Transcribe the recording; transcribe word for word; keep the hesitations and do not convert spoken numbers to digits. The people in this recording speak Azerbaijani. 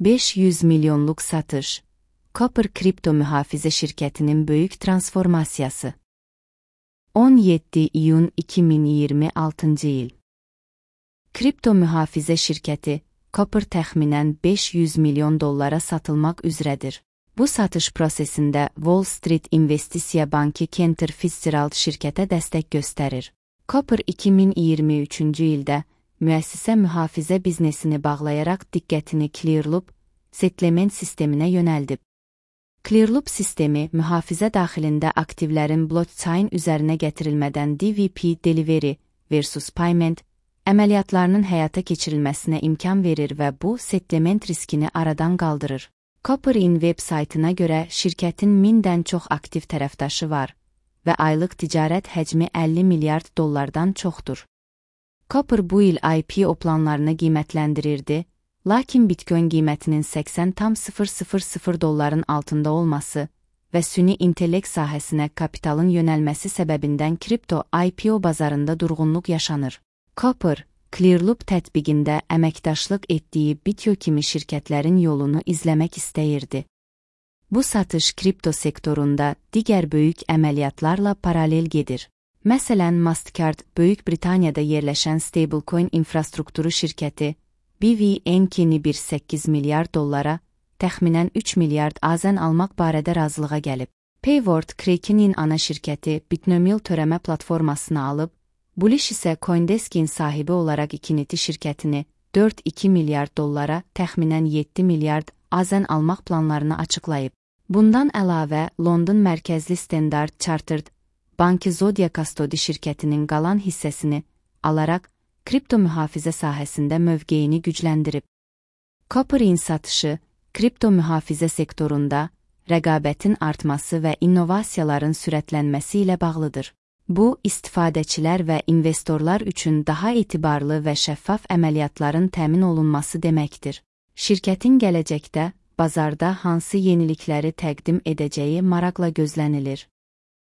beş yüz milyonluk satış. Copper kripto mühafizə şirkətinin böyük transformasiyası. on yeddi iyun iki min iyirmi altıncı il. Kripto mühafizə şirkəti Copper təxminən beş yüz milyon dollara satılmaq üzrədir. Bu satış prosesində Wall Street İnvestisiya Bankı Cantor Fitzgerald şirkətə dəstək göstərir. Copper iki min iyirmi üçüncü ildə müəssisə mühafizə biznesini bağlayaraq diqqətini Clearloop settlement sisteminə yönəldib. Clearloop sistemi mühafizə daxilində aktivlərin blockchain üzərinə gətirilmədən D V P delivery versus payment əməliyyatlarının həyata keçirilməsinə imkan verir və bu settlement riskini aradan qaldırır. Copper'in web saytına görə şirkətin mindən çox aktiv tərəfdaşı var və aylıq ticarət həcmi əlli milyard dollardan çoxdur. Copper bu il I P O planlarını qiymətləndirirdi, lakin Bitcoin qiymətinin səksən tam sıfır sıfır sıfır dolların altında olması və süni intellekt sahəsinə kapitalın yönəlməsi səbəbindən kripto I P O bazarında durğunluq yaşanır. Copper, Clearloop tətbiqində əməkdaşlıq etdiyi Bityo kimi şirkətlərin yolunu izləmək istəyirdi. Bu satış kripto sektorunda digər böyük əməliyyatlarla paralel gedir. Məsələn, Mastercard, Böyük Britaniyada yerləşən stablecoin infrastrukturu şirkəti, B V N K-ni bir səkkiz milyard dollara, təxminən üç milyard azən almaq barədə razılığa gəlib. Payward, Kraken'in ana şirkəti Bitnomial törəmə platformasını alıb, Bullish isə CoinDesk'in sahibi olaraq Ikiniti şirkətini dörd iki milyard dollara, təxminən yeddi milyard azən almaq planlarını açıqlayıb. Bundan əlavə, London mərkəzli Standard Chartered Bankı Zodia Custody şirkətinin qalan hissəsini alaraq kripto mühafizə sahəsində mövqeyini gücləndirib. Copper'in satışı, kripto mühafizə sektorunda rəqabətin artması və innovasiyaların sürətlənməsi ilə bağlıdır. Bu, istifadəçilər və investorlar üçün daha etibarlı və şəffaf əməliyyatların təmin olunması deməkdir. Şirkətin gələcəkdə bazarda hansı yenilikləri təqdim edəcəyi maraqla gözlənilir.